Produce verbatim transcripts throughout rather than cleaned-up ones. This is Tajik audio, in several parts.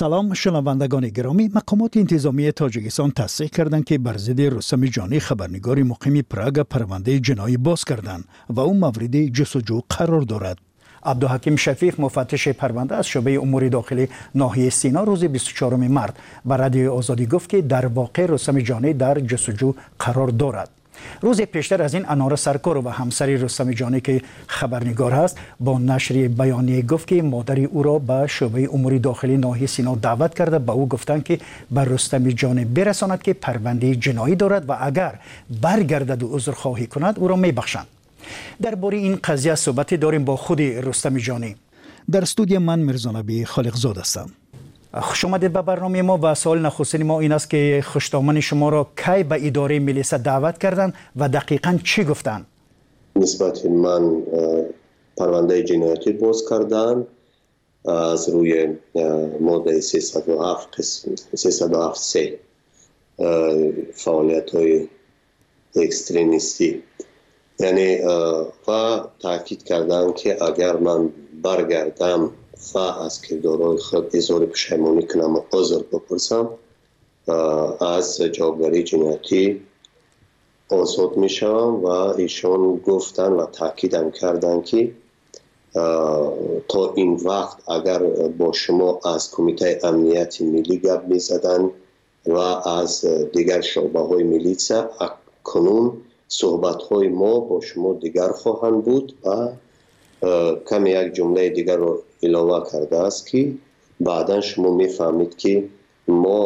Салом, шунавандагони гиромӣ. Мақомоти интизомии Тоҷикистон тасдиқ карданд, ки бар зидди Рустами Ҷонӣ, хабарнигори муқими Прага, парвандаи ҷиноӣ боз карданд ва ӯ мавриди ҷустуҷӯ қарор дорад. Абдуҳаким Шафиев, муфаттиши парванда аз шӯъбаи умури дохилии ноҳияи Сино, рӯзи бисту чаҳоруми март ба Радиои Озодӣ гуфт, ки дар воқеъ Рустами Ҷонӣ дар ҷустуҷӯ қарор дорад. Рӯзи пештар аз ин Анора Саркорова, ҳамсари Рустами Ҷонӣ, ки хабарнигор аст, бо нашри баёние гуфт, ки модари ӯро ба шӯъбаи умури дохилии ноҳияи Сино даъват карда, ба ӯ гуфтанд, ки ба Рустами Ҷонӣ бирасонад, ки парвандаи ҷиноӣ дорад ва агар баргардаду узрхоҳӣ кунад, ӯро мебахшанд. Дар бораи ин қазия суҳбате дорем бо худи Рустами Ҷонӣ. Дар студия ман Мирзонаби Холиқзод ҳастам. Хуш омадед ба барномаи мо ва саволи нахустини мо ин аст, ки хушдомани шуморо кай ба идораи милиса даъват карданд ва дақиқан чӣ гуфтанд? Нисбати ман парвандаи ҷиноятӣ боз карданд аз рӯи моддаи сесаду ҳафт се, фаъолиятҳои экстремистӣ, яъне ва таъкид карданд, ки агар ман баргардам ва аз кирдорҳои худ изҳори пушаймонӣ кунам ва узр бипурсам, аз ҷавобгарии ҷиноятӣ озод мешавам. Ва эшон гуфтанд ва таъкидам карданд, ки то ин вақт агар бо шумо аз Кумитаи амнияти миллӣ гап мезаданд ва аз дигар шӯъбаҳои милитсия, акнун суҳбатҳои мо бо шумо дигар хоҳанд буд. Ва каме як ҷумлаи дигарро илова кардааст, ки баъдан шумо мефаҳмед, ки мо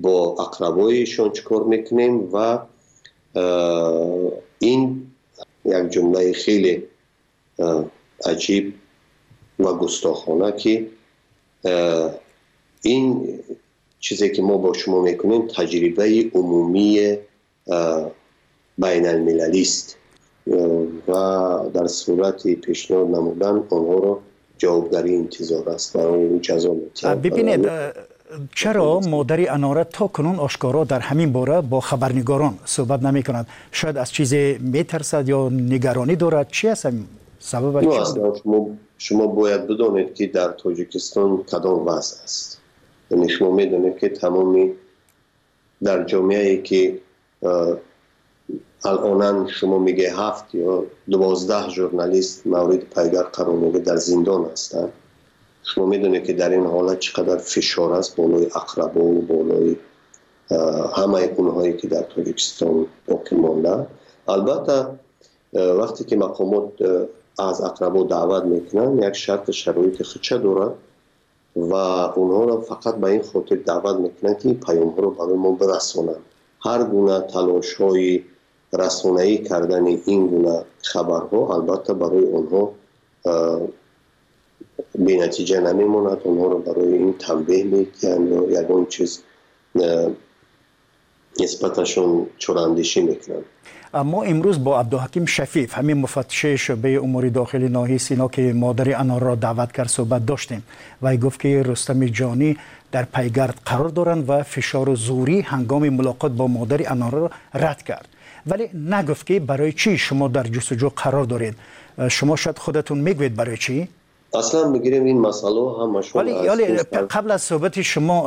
бо ақрабоишон чӣ кор мекунем. Ва ин як ҷумлаи хеле аҷиб ва густохона, ки ин чизе ки мо бо шумо мекунем, таҷрибаи умумии байналмилалист ва дар сурати пешниҳод намудан онҳоро ҷавобгарӣ интизор аст ва ҷазо метиҳад. Бибинед, чаро модари Анора то кунун ошкоро дар ҳамин бора бо хабарнигорон суҳбат намекунад? Шояд аз чизе метарсад ё нигаронӣ дорад? Чи аст сабабаш? Шумо бояд бидонед, ки дар Тоҷикистон кадом вазъ аст. Яъне шумо медонед, ки тамоми дар ҷомеае ки алонан шумо мегӯед ҳафт ё дувоздаҳ журналист мавриди пайгард қарор мегирад, дар зиндон ҳастанд, шумо медонед, ки дар ин ҳолат чӣ қадар фишор аст болои ақрабову болои ҳамаи онҳое ки дар Тоҷикистон боқӣ мондаанд. Албатта, вақте ки мақомот аз ақрабо даъват мекунанд, як шарту шароити худша дорад ва онҳоро фақат ба ин хотир даъват мекунанд, ки ин паёмҳоро барои мо бирасонанд. Ҳар гуна талошҳои расонаӣ кардани ин гуна хабарҳо албатта барои онҳо бенатиҷа намемонад. Онҳоро барои ин танбеҳ медиҳанд ё ягон чиз нисбаташон чораандешӣ мекунанд. Мо имрӯз бо Абдуҳаким Шафиев, ҳамин муфаттиши шӯъбаи умури дохилии ноҳияи Сино, ки модари Анорро даъват кард, суҳбат доштем. Вай гуфт, ки Рустами Ҷонӣ дар пайгард қарор доранд ва фишору зӯрӣ ҳангоми мулоқот бо модари Анорро рад кард, вале нагуфт, ки барои чӣ шумо дар ҷустуҷӯ қарор доред. Шумо шояд худатон мегӯед, барои чӣ? Аслан бигирем, ин масъалаҳо ҳамашон вале қабл аз суҳбати шумо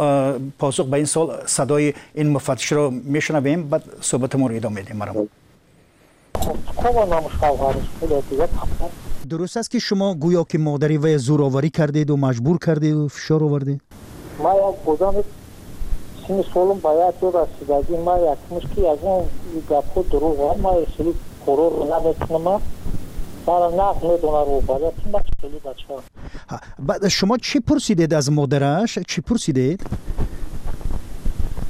посух ба ин савол, садои ин муфаттишро мешунавем, баъд суҳбатамонро идома медиҳем. Марам, дуруст аст, ки шумо гӯё ки модари вай зӯроварӣ кардеду маҷбур кардеду фишор овардед? Ман як одами синни солум ба як ҷо расидагӣ, ман якмуш ки ягон гапҳо дурӯғ, ман хеле корорро намекунам, мара нағз медонад роҳбарият, ман хеле бача. Баъд шумо чӣ пурсидед аз модараш? Чӣ пурсидед?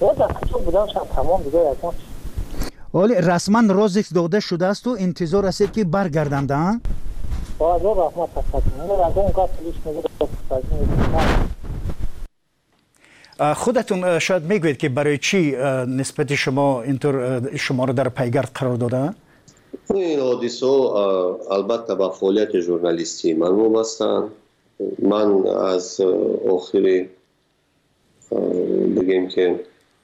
Дар куҷо будам, тамом, дига ягон. Ҳоле расман розиск дода шудаасту интизор ҳастед, ки баргарданд? Раҳмат. Ягон гап. Худатон шояд мегӯед, ки барои чӣ нисбати шумо интур шуморо дар пайгард қарор додаанд? Ин ҳодисаҳо албатта ба фаъолияти журналистии ман вобастаанд. Ман аз охири, бигем ки,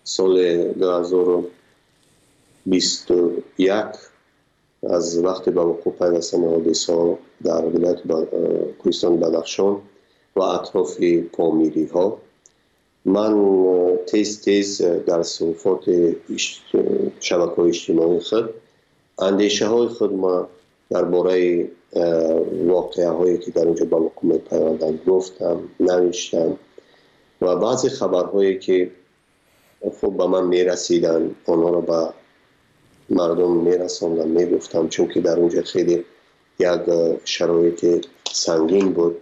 соли дуҳазору бисту як, аз вақте ба вуқӯъ пайвастани ҳодисаҳо дар вилояти Кӯҳистони Бадахшон ва атрофи помириҳо, Ман тез тез дар саҳифаҳои шабакаҳои иҷтимоии худ андешаҳои худ ма дар бораи воқеаҳое ки дар онҷо ба вуқӯъ мепайванданд гуфтам, навиштам ва баъзе хабарҳое ки хуб ба ман мерасиданд, онҳоро ба мардум мерасондам, мегуфтам, чунки дар онҷо хеле як шароити сангин буд.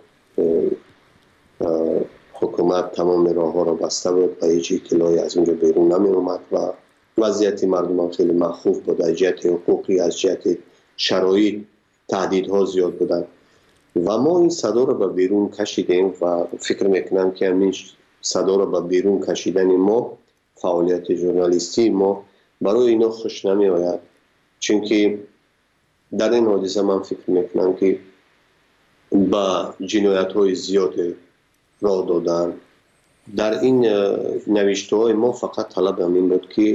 Ҳукумат тамоми роҳҳоро баста буд ва ҳеҷ иттилоъе аз онҷо берун намеомад ва вазъияти мардум ҳам хеле махуф буд. Аз ҷиҳати ҳуқуқӣ, аз ҷиҳати шароит таҳдидҳо зиёд буданд ва мо ин садоро ба берун кашидем ва фикр мекунам ки ҳамин садоро ба берун кашидани мо, фаъолияти журналистии мо барои ино хуш намеояд, чунки дар ин ҳодиса ман фикр мекунам ки ба ҷиноятҳои зиёде роҳ доданд. Дар ин навиштаҳои мо фақат талаб ҳамин буд ки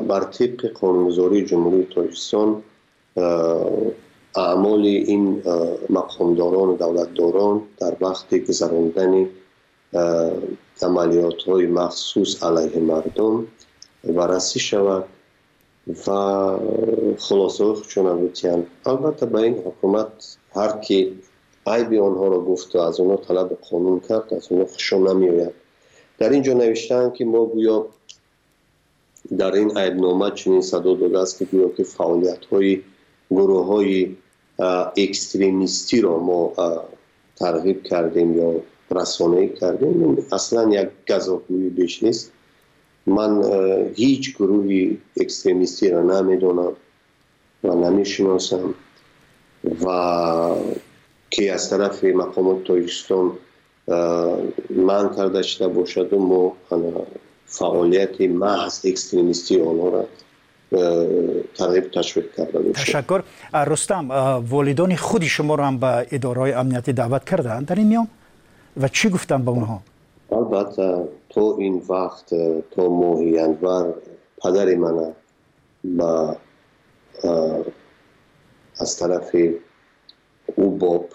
бар тибқи қонунгузории Ҷумҳурии Тоҷикистон аъмоли ин мақомдорону давлатдорон дар вақти гузарондани амалиётҳои махсус алайҳи мардум баррасӣ шавад ва хулосаҳои худшона битиҳанд. Албатта ба ин ҳукумат ҳар ки айби онҳоро гуфту аз онҳо талаби қонун кард, аз онҳо хушон намеояд. Дар ин ҷо навиштаанд ки мо гӯё дар ин айбнома чунин садо додааст ки гӯё ки фаъолиятҳои гурӯҳҳои экстремистиро мо тарғиб кардем ё расонаӣ кардем. Аслан як газофгӯӣ беш нест. Ман ҳеҷ гурӯҳи экстремистиро намедонам ва намешиносам ва ки аз тарафи мақомоти Тоҷикистон манъ карда шуда бошаду мо фаъолияти маҳз экстремистии онҳоро тарғиб ташвиқ карда бошем. Ташаккур. Рустам, волидони худи шуморо ҳам ба идораҳои амниятӣ даъват карданд дар ин миён ва чӣ гуфтанд ба онҳо? Албатта то ин вақт, то моҳи январ падари мана ба аз тарафи УБОП,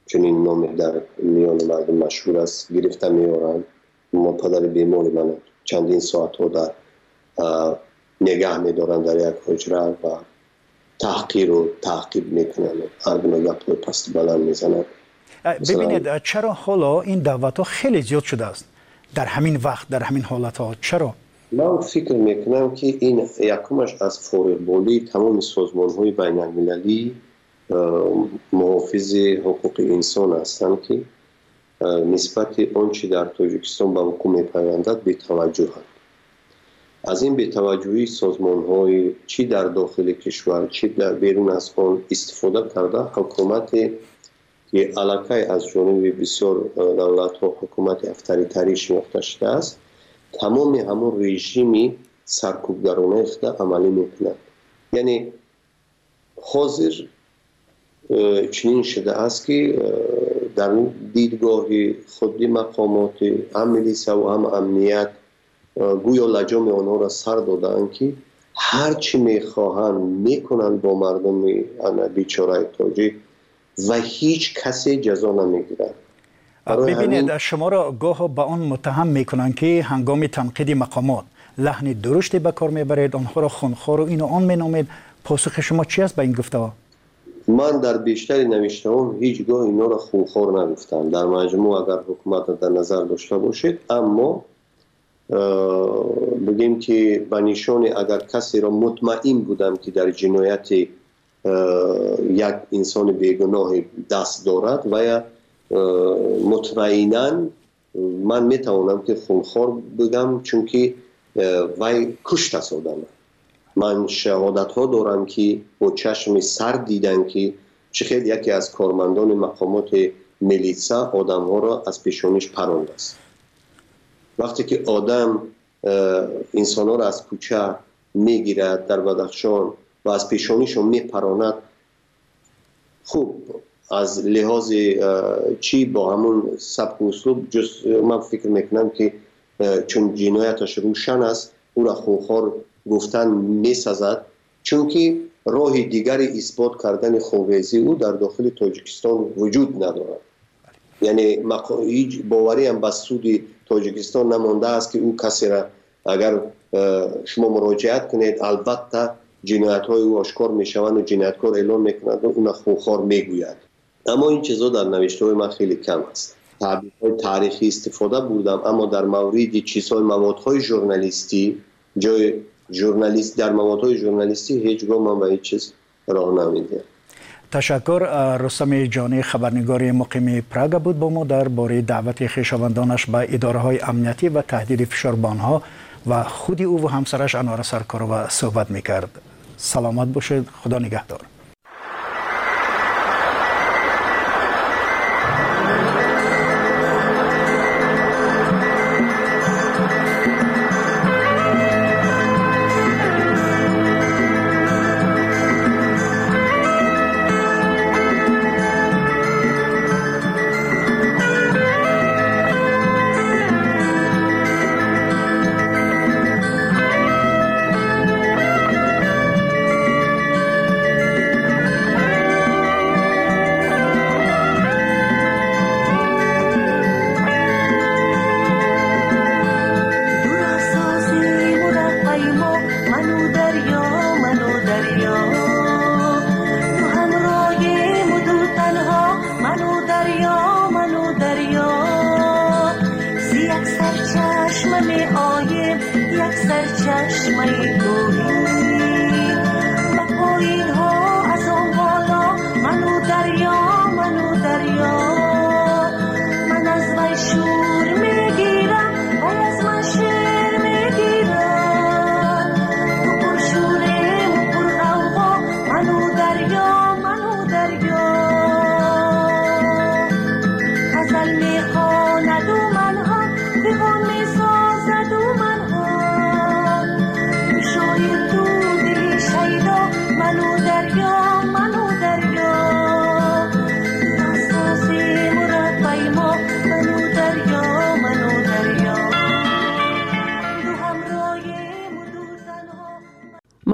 чунин номе дар миёни мардум машҳур аст, гирифта меоранд. Мо падари бемори мана чандин соатҳо дар негаҳ медоранд дар як ҳуҷра ва таҳқиру таъқиб мекунанд, ҳар гуна гапҳои пасту баланд мезананд. Бибинед, чаро ҳоло ин даъватҳо хеле зиёд шудааст дар ҳамин вақт, дар ҳамин ҳолатҳо? Чаро? Ман фикр мекунам ки ин якумаш аз фориғболии тамоми созмонҳои байналмилалӣ муҳофизи ҳуқуқи инсон ҳастанд ки нисбати он чи дар Тоҷикистон ба вуқӯъ мепайвандад бетаваҷҷӯҳанд. Аз ин бетаваҷҷӯҳии созмонҳои чӣ дар дохили кишвар, чӣ дар берун аз он истифода карда, ҳукумате ки аллакай аз ҷониби бисёр давлатҳо ҳукумати авторитарӣ шинохта шудааст, тамоми ҳамон режими саркӯбгаронаи худа амалӣ мекунад. Яъне ҳозир чунин шудааст ки дар дидгоҳи худи мақомоти ҳам милисаву ҳам амният гӯё лаҷоми онҳоро сар додаанд ки ҳар чӣ мехоҳанд мекунанд бо мардуми бечораи тоҷик ва ҳеҷ касе ҷазо намегирад. Бибинед, шуморо гоҳо ба он муттаҳам мекунанд ки ҳангоми танқиди мақомот лаҳни дуруште ба кор мебаред, онҳоро хунхору ину он меномед. Посухи шумо чи аст ба ин гуфтаҳо? Ман дар бештари навиштаҳом ҳеҷ гоҳ инҳоро хунхор нагуфтам. Дар маҷмӯъ агар ҳукуматро дар назар дошта бошед, аммо бигем ки ба нишони агар касеро мутмаин будам ки дар ҷинояти як инсони бегуноҳе даст дорад ва я мутмаинан ман метавонам ки хунхор бигам, чунки вай куштааст одамро. Ман шаҳодатҳо дорам ки бо чашми сар дидам ки чӣ хел яке аз кормандони мақомоти милитса одамҳоро аз пешониш парондааст. Вақте ки одам инсонҳоро аз кӯча мегирад дар Бадахшон ва аз пешонишон мепаронад, хуб аз лиҳози чӣ бо ҳамун сабку услуб ҷуз ман фикр мекунам ки чун ҷинояташ рӯшан аст, ӯро хунхор гуфтан месазад, чунки роҳи дигари исбот кардани хунрезии ӯ дар дохили Тоҷикистон вуҷуд надорад. Яъне ҳеҷ бовариам ба суди Тоҷикистон намондааст, ки ӯ касеро агар шумо муроҷиат кунед, албатта ҷиноятҳои ӯ ошкор мешаванд ва ҷинояткор эълон мекунад ва ӯро хунхор мегӯяд. Аммо ин чизҳо дар навиштаҳои ман хеле кам аст. Таъбирҳои таърихӣ истифода бурдам, аммо дар мавриди чизҳои маводҳои журналистӣ, ҷои журналист дар маводҳои журналистӣ ҳеҷ гоҳ ман ба ҳеҷ чиз роҳ намедиҳам. Ташаккур. Рустами Ҷонӣ, хабарнигори муқими Прага буд бо мо дар бораи даъвати хешовандонаш ба идораҳои амниятӣ ва таҳдиди фишор ба онҳо ва худи ӯ ва ҳамсараш Анвара Саркорова суҳбат мекард. Саломат бошед, Худо нигаҳдор.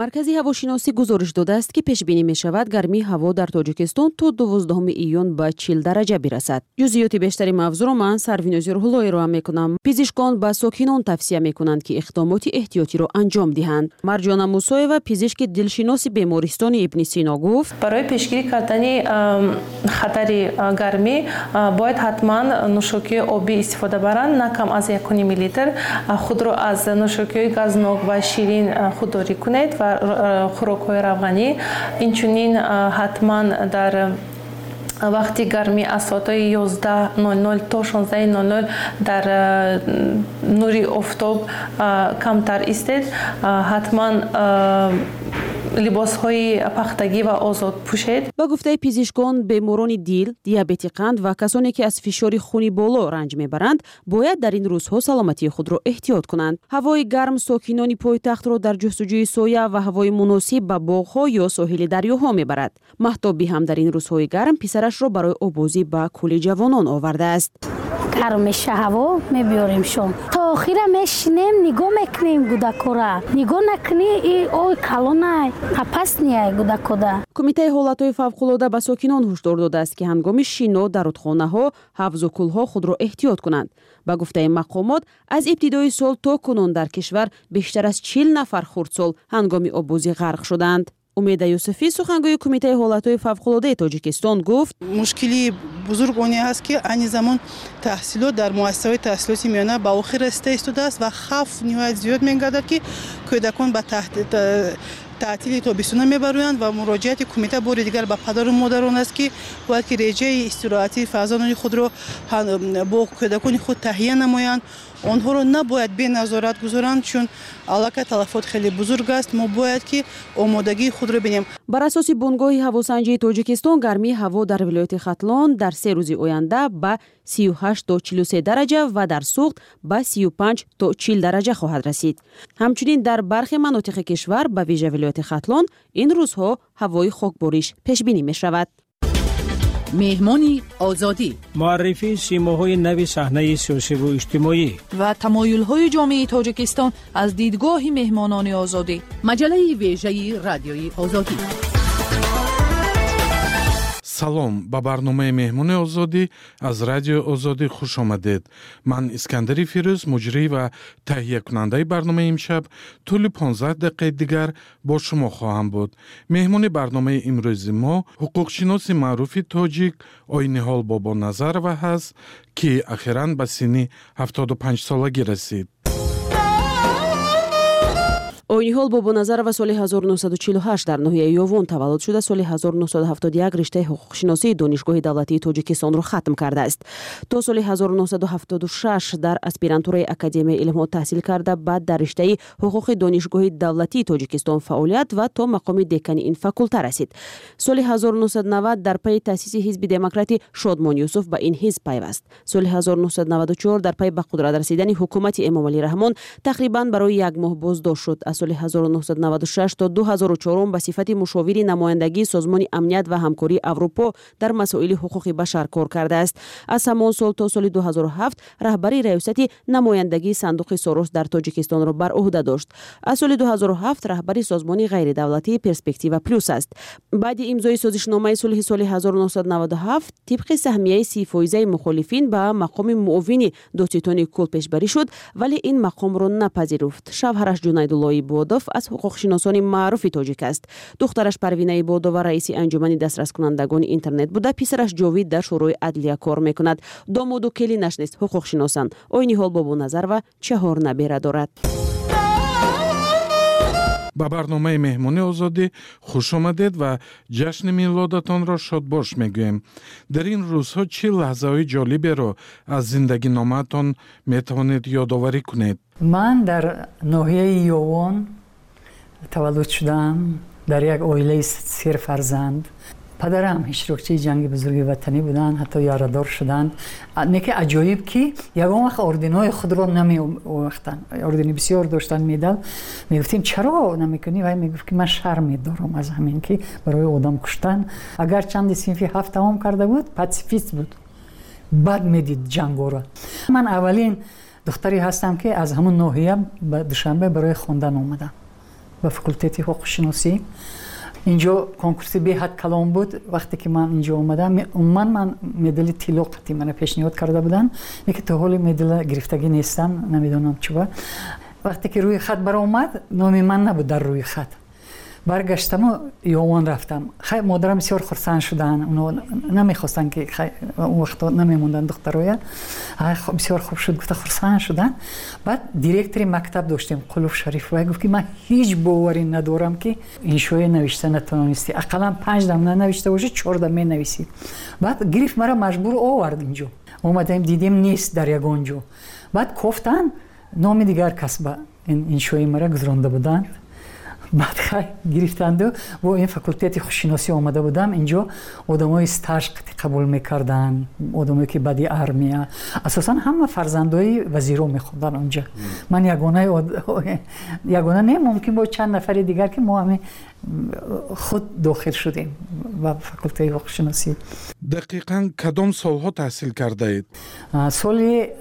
Маркази ҳавошиносӣ гузориш додааст, ки пешбинӣ мешавад гармии ҳаво дар Тоҷикистон то дувоздаҳуми июн ба чил дараҷа бирасад. Ҷузъиёти бештари мавзӯъро ман Сарвинози Рӯҳулло ироа мекунам. Пизишкон ба сокинон тавсия мекунанд, ки иқдомоти эҳтиётиро анҷом диҳанд. Марҷона Мусоева, пизишки дилшиноси бемористони Ибни Сино гуфт: барои пешгирӣ кардани хатари гармӣ бояд ҳатман нӯшокии обӣ истифода баранд, на кам аз як ним литр. Худро аз нӯшокиҳои газнок ва ширин худдорӣ кунед ва хӯрокҳои равғанӣ. Инчунин ҳатман дар вақти гармӣ аз соатҳои ёздаҳ нол нол то шонздаҳ нол нол дар нури офтоб камтар истед. Ҳатман либосҳои пахтагӣ ва озод пӯшед. Ба гуфтаи пизишкон, беморони дил, диабети қанд ва касоне ки аз фишори хуни боло ранҷ мебаранд, бояд дар ин рӯзҳо саломатии худро эҳтиёт кунанд. Ҳавои гарм сокинони пойтахтро дар ҷустуҷӯи соя ва ҳавои муносиб ба боғҳо ё соҳили дарёҳо мебарад. Маҳтобӣ ҳам дар ин рӯзҳои гарм писарашро барои обозӣ ба кӯли ҷавонон овардааст. Гарм меша ҳаво, мебиёрем шом. То охира мешинем, нигоҳ мекунем гудакора. Нигоҳ накунӣ, и ой калонай, опасный гудакода. Кумитаи ҳолатҳои фавқулода ба сокинон ҳушдор додааст, ки ҳангоми шино дар рудхонаҳо, ҳавзу кӯлҳо худро эҳтиёт кунанд. Ба гуфтаи мақомот, аз ибтидои сол то кунун дар кишвар бештар аз чил нафар хурдсол ҳангоми оббозӣ ғарқ шуданд. Умеда Юсуфӣ, сухангӯи Кумитаи ҳолатҳои фавқулодаи Тоҷикистон гуфт: мушкили бузург оне аст, ки айни замон таҳсилот дар муассисаҳои таҳсилоти миёна ба охир расида истодааст ва хавф ниҳоят зиёд мегардад, ки кӯдакон ба таътили тобистона мебароянд ва муроҷиати кумита бори дигар ба падару модарон аст, ки бояд ки реҷаи истироҳатии фарзандони худро бо кӯдакони худ таҳия намоянд. Онҳоро набояд беназорат гузоранд, чун аллакай талафот хеле бузург аст. Мо бояд ки омодагии худро бинем. Бар асоси бунгоҳи ҳавосанҷии Тоҷикистон, гармии ҳаво дар вилояти Хатлон дар се рӯзи оянда ба сию ҳашт то чилу се дараҷа ва дар Суғд ба сию панҷ то чил дараҷа хоҳад расид. Ҳамчунин дар бархе манотиқи кишвар, ба вижа вилояти Хатлон, ин рӯзҳо ҳавои хокбориш пешбинӣ мешавад. Меҳмони Озодӣ, муаррифии симоҳои нави саҳнаи сиёсиву иҷтимоӣ ва тамоюлҳои ҷомеаи Тоҷикистон аз дидгоҳи меҳмонони Озодӣ. Маҷаллаи вежаи радиои Озодӣ. Салом, ба барномаи Меҳмони Озодӣ аз Радиои Озодӣ хуш омадед. Ман Искандари Фирӯз, муҷрӣ ва таҳиякунандаи барномаи имшаб, тӯли понздаҳ дақиқаи дигар бо шумо хоҳам буд. Меҳмони барномаи имрӯзи мо ҳуқуқшиноси маъруфи тоҷик Ойниҳол Бобоназарова ҳаст, ки ахиран ба синни ҳафтоду панҷ солагӣ расид. Ойниҳол Бобоназарова соли ҳазору нӯҳсаду чилу ҳашт дар ноҳияи Ёвон таваллуд шуда, соли ҳазору нӯҳсаду ҳафтоду як риштаи ҳуқуқшиносии Донишгоҳи давлатии Тоҷикистонро хатм кардааст. То соли ҳазору нӯҳсаду ҳафтоду шаш дар аспирантураи Академияи илмҳо таҳсил карда, баъд дар риштаи ҳуқуқи Донишгоҳи давлатии Тоҷикистон фаъолият ва то мақоми декани ин факулта расид. Соли ҳазору нӯҳсаду навад дар пайи таъсиси ҳизби демократи Шодмон Юсуф ба ин ҳизб пайваст. Соли ҳазору нӯҳсаду наваду чор дар пайи ба қудрат расидани ҳукумати Эмомалӣ Раҳмон тақрибан барои як моҳ боздошт шуд. Аз соли ҳазору нӯҳсаду наваду шаш то ду ҳазору чорум ба сифати мушовири намояндагии Созмони амният ва ҳамкории Аврупо дар масоили ҳуқуқи башар кор кардааст. Аз ҳамон сол то соли ду ҳазору ҳафт раҳбари раёсати намояндагии сандуқи Сорос дар Тоҷикистонро бар уҳда дошт. Аз соли ду ҳазору ҳафт раҳбари созмони ғайридавлатии Перспектива Плюс аст. Баъди имзои созишномаи сулҳи соли ҳазору нӯҳсаду наваду ҳафт тибқи саҳмияи си фоизаи мухолифин ба мақоми муовини додситони кул пешбарӣ шуд, вале ин мақомро напазируфт. Шавҳараш Ҷунайдулло Ибодов аз ҳуқуқшиносони маъруфи тоҷик аст. Духтараш Парвина Ибодова раиси анҷумани дастраскунандагони интернет буда, писараш Ҷовид дар Шӯрои адлия кор мекунад. Домоду келинаш низ ҳуқуқшиносанд. Ойниҳол Бобоназарова чаҳор набера дорад. Ба барномаи Меҳмони Озодӣ хуш омадед ва ҷашни милодатонро шодбош мегӯем. Дар ин рӯзҳо чӣ лаҳзаҳои ҷолиберо аз зиндагиномаатон метавонед ёдоварӣ кунед? Ман дар ноҳияи Ёвон таваллуд шудам, дар як оилаи серфарзанд. Падарам иштирокчии ҷанги бузурги ватанӣ буданд, ҳатто ярадор шуданд. Не ки аҷоиб, ки ягон вақт орденҳои худро намеовахтанд. Ордени бисёр доштанд, медал. Мегуфтем, чаро намекунӣ? Вай мегуфт, ки ман шарм медорам аз ҳамин, ки барои одам куштан. Агар чанди синфи ҳафт тамом карда буд, патсифист буд, бад медид ҷангоро. Ман аввалин духтаре ҳастам, ки аз ҳамон ноҳия ба Душанбе барои хондан омадам, ба факултети ҳуқуқшиносӣ. Инҷо конкурси беҳад калон буд. Вақте ки ман инҷо омадам, умуман ман медали тилло қатъи мана пешниҳод карда буданд, лекин то ҳоли медала гирифтагӣ нестам, намедонам чуба. Вақте ки рӯи хат баромад, номи ман набуд дар рӯи хат. Баргаштаму Ёвон рафтам. Хай, модарам бисёр хурсанд шуданд, оно намехостанд, ки он вақто намемонданд духтароя. Бисёр хуб шуд, гуфта хурсанд шуданд. Баъд директори мактаб доштем, Қулуф Шариф, вай гуфт, ки ман ҳеҷ боварӣ надорам, ки иншоя навишта натавонистӣ, ақаллан панҷ дам нанавишта бошӣ, чор дам менависӣ. Баъд гирифт мара, маҷбур овард инҷо. Омадаем, дидем, нест дар ягон ҷо. Баъд кофтанд, номи дигар кас ба иншои мара гузаронда буданд. Баъд хай гирифтанду бо ин факултети хушшиносӣ омада будам. Инҷо одамои стаж қабул мекарданд, одамое ки баъди армия, асосан ҳама фарзандои вазиро мехонданд онҷа. Ман ягона ягона не, мумкин бо чанд нафари дигар, ки мо ҳамин худ дохил шудем ба факултети ҳуқуқшиносӣ. Дақиқан кадом солҳо таҳсил кардаед? Соли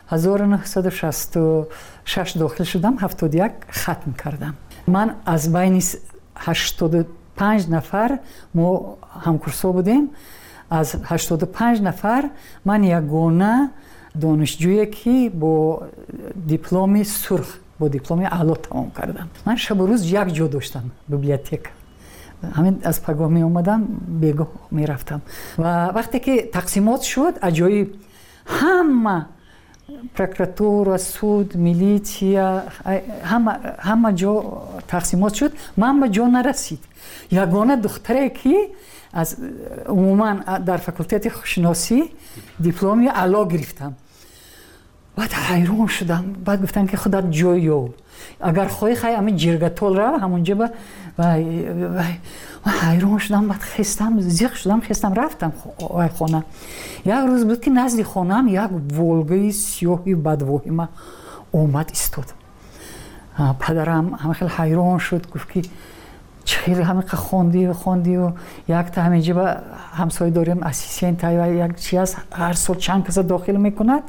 ҳазору нӯҳсаду шасту шаш дохил шудам, ҳафтоду як хатм кардам. Ман аз байни ҳаштоду панҷ нафар, мо ҳамкурсо будем, аз ҳаштоду панҷ нафар ман ягона донишҷӯе, ки бо дипломи сурх, бо дипломи аъло тамом кардам. Ман шабу рӯз як ҷо доштам, библиотека. Ҳамин аз пагоҳ меомадам, бегоҳ мерафтам. Ва вақте ки тақсимот шуд, аҷоиб, ҳама прокуратура, суд, милитсия, ҳама ҳама ҷо тақсимот шуд, ман ба ҷо нарасид. Ягона духтаре, ки аз умуман дар факултети хушшиносӣ дипломи аъло гирифтам. Баъд ҳайрон шудам. Баъд гуфтам, ки худат ҷой ёб, агар хоҳӣ, хай ҳамин ҷиргатол рав, ҳамонҷо ба. Ҳайрон шудам. Баъд хестам, зиқ шудам, хестам, рафтам вай хона. Як рӯз буд, ки назди хонаам як Волгаи сиёҳи бадвоҳима омад, истод. Падарам ҳама хел ҳайрон шуд, гуфт, ки чӣ хеле ҳамиқа хондию хондию якта ҳаминҷа ба ҳамсоя дорем, ассистент, як чи аст, ҳар сол чанд каса дохил мекунад,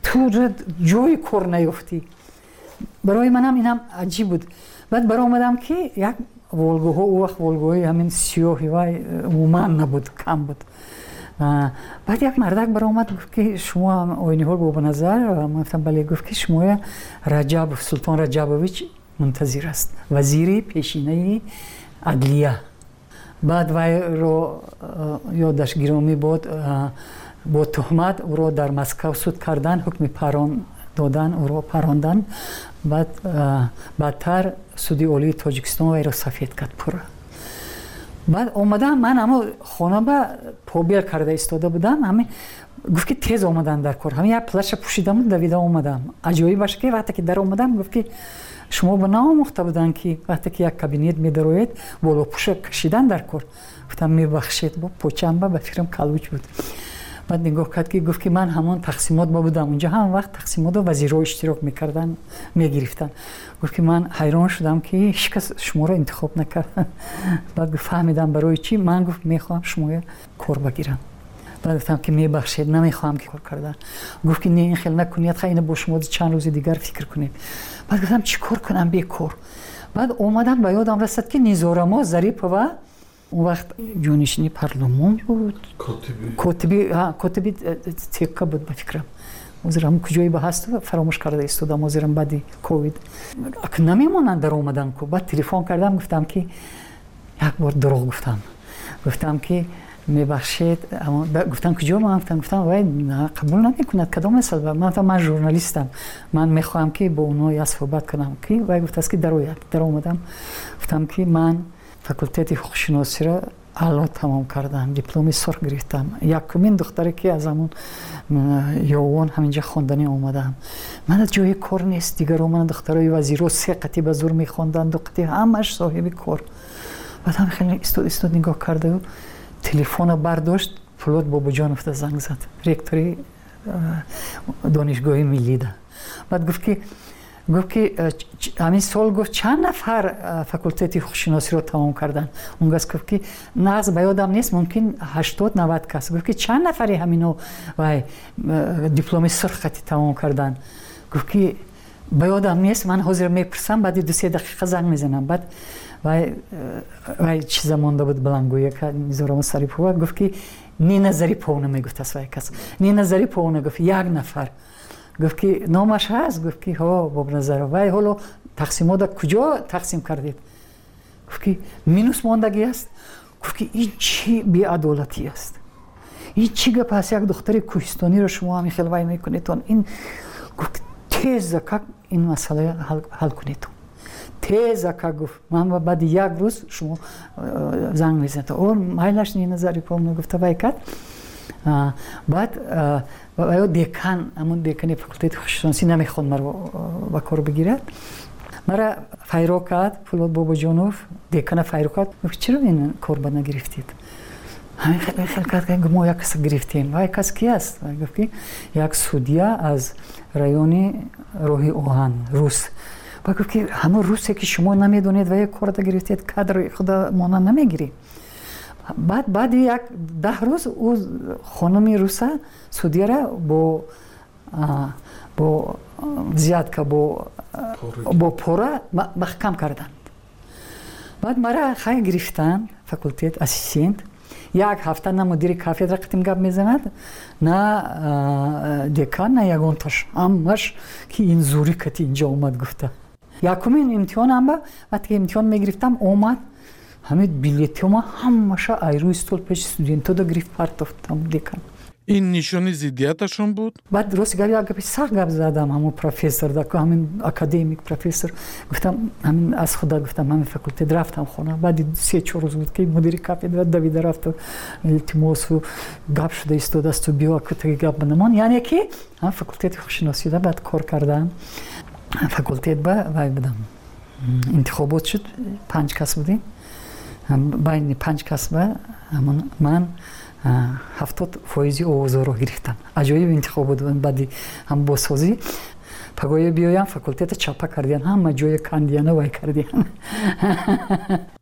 ту ҷои кор наёфтӣ. Барои манам инам аҷиб буд. Баъд баромадам, ки як Волгаҳо он вақт Волгаҳои ҳамин сиёҳи вай умуман набуд, кам буд. Баъд як мардак баромад, гуфт ки шумо Ойниҳол Бобоназар? Ман гуфтам бале. Гуфт ки шумоя Раҷабов, Султон Раҷабович мунтазир аст, вазири пешинаи адлия. Баъд вайро ёдаш гиромӣ буд, бо туҳмат ӯро дар Москав суд кардан, ҳукми парон додан, ӯро парондан. Баъд баъдтар суди олии Тоҷикистон вайро сафед кард пурра. Баъд омадам, ман ҳамо хона ба побел карда истода будам, ҳами гуфт ки тез омадан дар кор. Ҳами як плаша пӯшидаму давида омадам. Аҷоибаш ки вақте ки дар омадам, гуфт ки шумо ба наомӯхта буданд ки вақте ки як кабинет медароед, болопӯша кашидан дар кор. Гуфтам мебахшед, бо почамба ба фикрам калуч буд. Баъд нигоҳ кард ки гуфт ки ман ҳамон тақсимот ба будам. Унҷо ҳам вақт тақсимотро вазирҳо иштирок мекарданд, мегирифтанд. Гуфт ки ман ҳайрон шудам ки ҳеҷ кас шуморо интихоб накард. Баъд гуфт фаҳмидам барои чӣ. Ман гуфт мехоҳам шуморо кор багирам. Баъд гуфтам ки мебахшед, намехоҳам ки кор кардан. Гуфт ки не, ин хел накунед, хай ина бо шумо чанд рӯзи дигар фикр кунед. Баъд гуфтам чӣ кор кунам бекор. Баъд омадам ба ёдам расад ки Низорамо Зарипова он вақт ҷонишини парлумон буд, котиби котиби тека буд ба фикрам. Ҳозир ҳам куҷое ба ҳаст фаромӯш карда истодам, ҳозирам баъди ковид. Намемонанд дар омадан ку. Баъд телефон кардам, гуфтам ки як бор дурӯғ гуфтам. Гуфтам ки мебахшед, гуфтам куҷо? Ман гуфтам, гуфтам вай қабул намекунад, кадом масъала? Ман гуфтам ман журналистам, ман мехоҳам ки бо онҳо як суҳбат кунам. Ки вай гуфтааст ки дарояд. Даромадам, гуфтам ки ман факултети ҳуқуқшиносиро аъло тамом кардам, дипломи сурх гирифтам. Якумин духтаре ки аз ҳамон ёвон ҳаминҷа хонданӣ омадам. Ман аз ҷои кор нест, дигаро ман духтарои вазиро се қатӣ ба зур мехонданд, ду қатӣ, ҳамаш соҳиби кор. Баъд ҳам хеле истод истод нигоҳ кардаю телефона бардошт, Пулот Бобоҷонов да занг зад, ректори донишгоҳи миллида. Баъд гуфт ки гуфт ки ҳамин сол гуфт чанд нафар факултети ҳуқуқшиносиро тамом карданд. Он гас гуфт ки нағз ба ёдам нест, мумкин ҳаштод навад кас. Гуфт ки чанд нафари ҳамино вай дипломи сурх қати тамом карданд. Гуфт ки ба ёдам нест, ман ҳозир мепурсам, баъди ду се дақиқа занг мезанам. Баъд вай вай чиза монда буд баландгӯяка Низорамо Сарипова, гуфт ки Нина Зариповна мегуфтааст вай кас. Нина Зариповна гуфт як нафар. Гуфт ки номаш ҳаст? Гуфт ки ҳо, Бобоназаров. Вай ҳоло тақсимота куҷо тақсим кардед? Гуфт ки минус мондагӣ аст. Гуфт ки ин чӣ беадолатӣ аст? Ин чӣ гап аст? Як духтари кӯҳистониро шумо ҳамин хел вай мекунедтон. Ин гуфт теза как ин масъала ҳал кунедтон. Теза как гуфт ман баъди як рӯз шумо занг мезанед. О майлаш Нина Зариповна гуфта вай кард. Баъд ё декан, ҳамон декани факултети ҳуқуқшиносӣ намехонд маро ба кор бигирад. Мара файро кард Пулот Бобоҷонов, декана файро кард. Гуфт чаро ин кор ба нагирифтед? Ҳамин хел хел кард, мо як кас гирифтем. Вай кас ки аст? Гуфт ки як судья аз райони роҳи оҳан, рус. Ба гуфт ки ҳамон русе ки шумо намедонед ва як корда гирифтед, кадри худа мона намегиред. Баъд баъди як даҳ рӯз ӯ хонуми руса судьяра бо бо взятка, бо бо пора маҳкам карданд. Баъд мара хай гирифтанд факултет ассистент. Як ҳафта на мудири кафедра қатим гап мезанад, на декан, на ягонташ. Ҳамаш ки ин зури кати инҷо омад гуфта. Якумин имтиҳонам ба вақте ки имтиҳон мегирифтам омад, ҳамин билетҳома ҳамаша айрӯи стол пеши студентода гирифт партофт декан. Ин нишони зиддияташон буд? Баъд рост гап як гапи сахт гап задам ҳамон профессор, ҳамин академик профессор. Гуфтам ҳамин аз худа гуфтам ҳамин факултет рафтам хона. Баъди се чор рӯз буд ки мудири кафедра давида рафту илтимосу гап шуда истодаасту биё кутаги гап банамон. Яъне ки ҳам факултети ҳуқуқшиносида баъд кор кардам. Факултет ба вай будам. Интихобот шуд, панҷ кас будем. Байни панҷ кас ба ман ҳафтод фоизи овозҳоро гирифтам. Аҷоиб интихобот буд баъди ҳам бозсозӣ. Пагоҳе биёям факултета чапа кардиян, ҳама ҷое кандияну вай кардиян.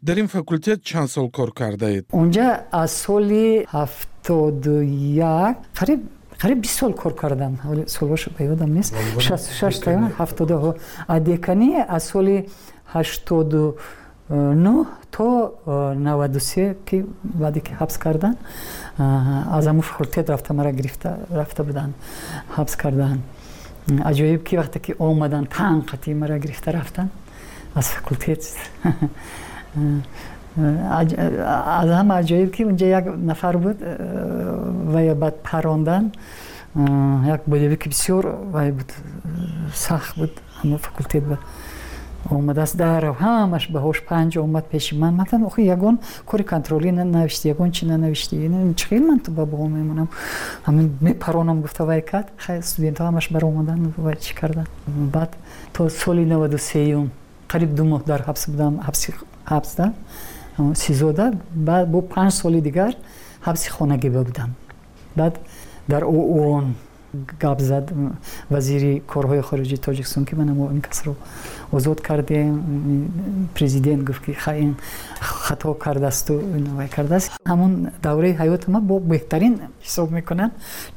Дар ин факултет чанд сол кор кардаед? Онҷа аз соли ҳафтоду як қариб қариб бист сол кор кардам. Солҳош ба ёдам нест. Шасту шаш та ҳафтоду. А деканӣ аз соли ҳаштоду нӯҳ то наваду се ки баъде ки ҳабс кардан, аз ҳамун факултет рафта мара гирифта рафта буданд, ҳабс кардан. Аҷоиб ки вақте ки омадан танқати мара гирифта рафтан аз факултет. Аз ҳама аҷоиб ки унҷа як нафар буд ва баъд парондан, як боевики бисёр вай буд, сахт буд, ҳамон факултет буд. Омадааст дарав, ҳамаш баҳош панҷ омад пеши ман. Ман гуфтам охи ягон кори контролӣ нанавиштӣ, ягон чи нанавиштӣ, чӣ хел ман ту ба баҳо мемонам? Ҳамин мепаронам гуфта вай кард. Хай студентҳо ҳамаш баромадан вай чӣ кардан. Баъд то соли наваду сеюм қариб ду моҳ дар ҳабс будам, ҳабси ҳабсда сизода. Баъд бо панҷ соли дигар ҳабси хонагӣ будам. Баъд дар ООН гап зад вазири корҳои хориҷии Тоҷикистон ки ман ин касро озод кардем. Президент гуфт ки хай ин хато кардасту вай кардааст. Ҳамон давраи ҳаёти ман бо беҳтарин ҳисоб мекунам.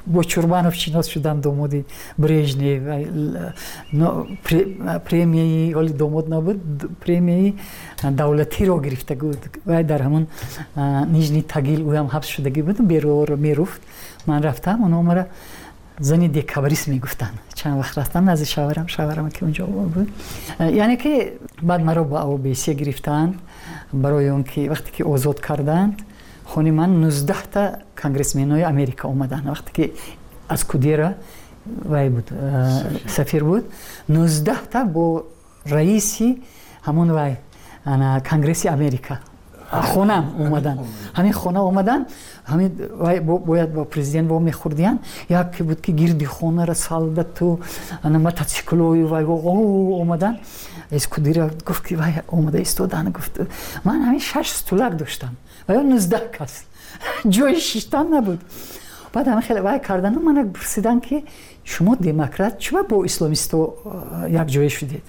Бо Чурбанов шинос шудам, домоди Брежнев. Премияи ҳоли домод набуд, премияи давлатиро гирифта буд. Вай дар ҳамон Нижний Тагил ӯям ҳабс шудагӣ буд, бероро меруфт. Ман рафтам, онҳо мара зани декабрист мегуфтанд. Чанд вақт рафтам назди шавҳарам, шавҳарам ки унҷо буд. Яъне ки баъд маро ба ОБСЕ гирифтанд, барои он ки вақте ки озод карданд, хони ман нуздаҳта конгрессменои Америка омаданд. Вақте ки аз Кудера вай буд, сафир буд, нуздаҳта бо раиси ҳамон вай конгресси Америка хонам омаданд. Ҳамин хона омаданд, ҳамин вай бояд бо президент во мехӯрдиянд. Яке буд ки гирди хонара солдату мотоциклою вай омаданд. Эскудира гуфт ки вай омада истодан. Гуфт ман ҳамин шаш стулак доштам, вай нуздаҳ кас, ҷои шиштан набуд. Баъд ҳамин хеле вай кардану мана пурсиданд ки шумо демократ чуба бо исломисто якҷоя шудед?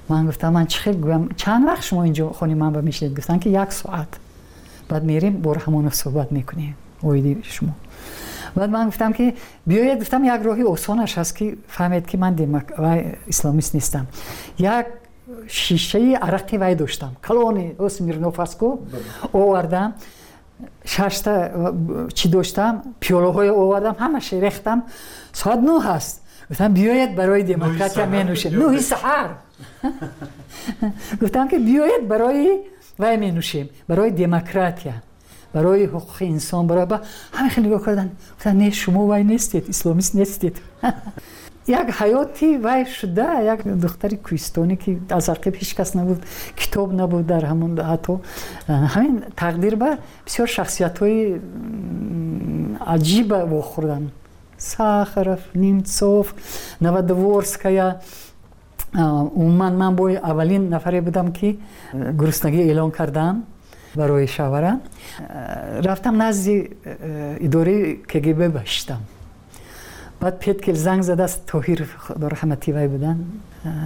Ман гуфтам ман чӣ хел гӯям, чанд вақт шумо инҷо хони ман ба мешинед? Гуфтанд ки як соат, баъд мерем бо Раҳмонов суҳбат мекунем оиди шумо. Баъд ман гуфтам ки биёед, гуфтам як роҳи осонаш ҳаст ки фаҳмед ки ман вай исломист нестам. Як шишаи арақи вай доштам, калони Смирнов астку, овардам, шашта чӣ доштам, пиёлаҳое овардам, ҳамаша рехтам. Соат нӯҳ ҳаст. Гуфтам биёед барои демократия менӯшем. Нӯҳи саҳар. Гуфтам ки биёед барои вай менӯшем, барои демократия, барои ҳуқуқи инсон, барои ҳама хеле нигоҳ карданд. Гуфтанд не, шумо вай нестед, исломист нестед. Як ҳаёти вай шуда, як духтари кӯҳистонӣ ки аз ақиб ҳеҷ кас набуд, китоб набуд дар ҳамон ҳатто. Ҳамин тақдир ба бисёр шахсиятҳои аҷиба вохӯрдам. Сахаров, Немцов, Новодворская. Умуман ман бо аввалин нафаре будам ки гуруснагӣ эълон кардам барои шавҳарам. Рафтам назди идораи КГБ башидам. Баъд Петкел занг задааст, Тоҳир худораҳматӣ вай буданд,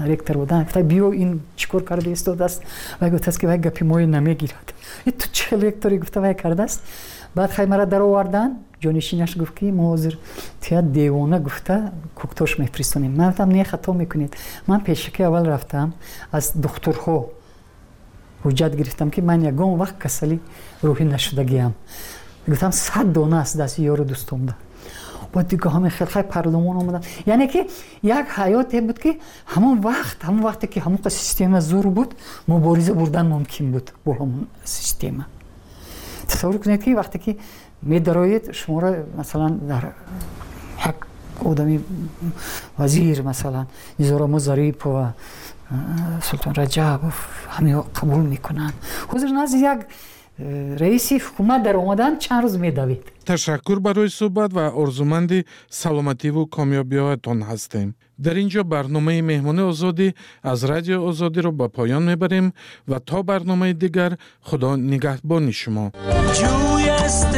ректор буданд. Гуфта биё ин чӣ кор карда истодааст? Вай гуфтааст ки вай гапи моро намегирад. Ту чӣ хел ректорӣ гуфта вай кардааст. Баъд хай мара дароварданд. Ҷонишинаш гуфт ки мо ҳозир туя девона гуфта куктош мефиристонем. Ман гуфтам не, хато мекунед. Ман пешакӣ аввал рафтам, аз духтурҳо ҳуҷҷат гирифтам ки ман ягон вақт касали рӯҳӣ нашудагиам. Гуфтам сад дона аст дасти ёру дӯстомда. Баъд дига ҳамин хел хай парлумон омадам. Яъне ки як ҳаёте буд ки ҳамон вақт, ҳамон вақте ки ҳамон система зур буд, мубориза бурдан мумкин буд бо ҳамон система. Тасаввур кунед ки вақте ки медароед, шуморо масалан дар як одами вазир, масалан Низорамо Зарипова, Султон Раҷабов, ҳамиҳо қабул мекунанд. Ҳозир назди як раиси ҳукумат дар омадан чанд рӯз медавид. Ташаккур барои суҳбат ва орзуманди саломативу комёбиҳоятон ҳастем. Дар ин ҷо барномаи Меҳмони Озодӣ аз Радио Озодиро ба поён мебарем ва то барномаи дигар Худо нигаҳбони шумо. Ҷӯй аст.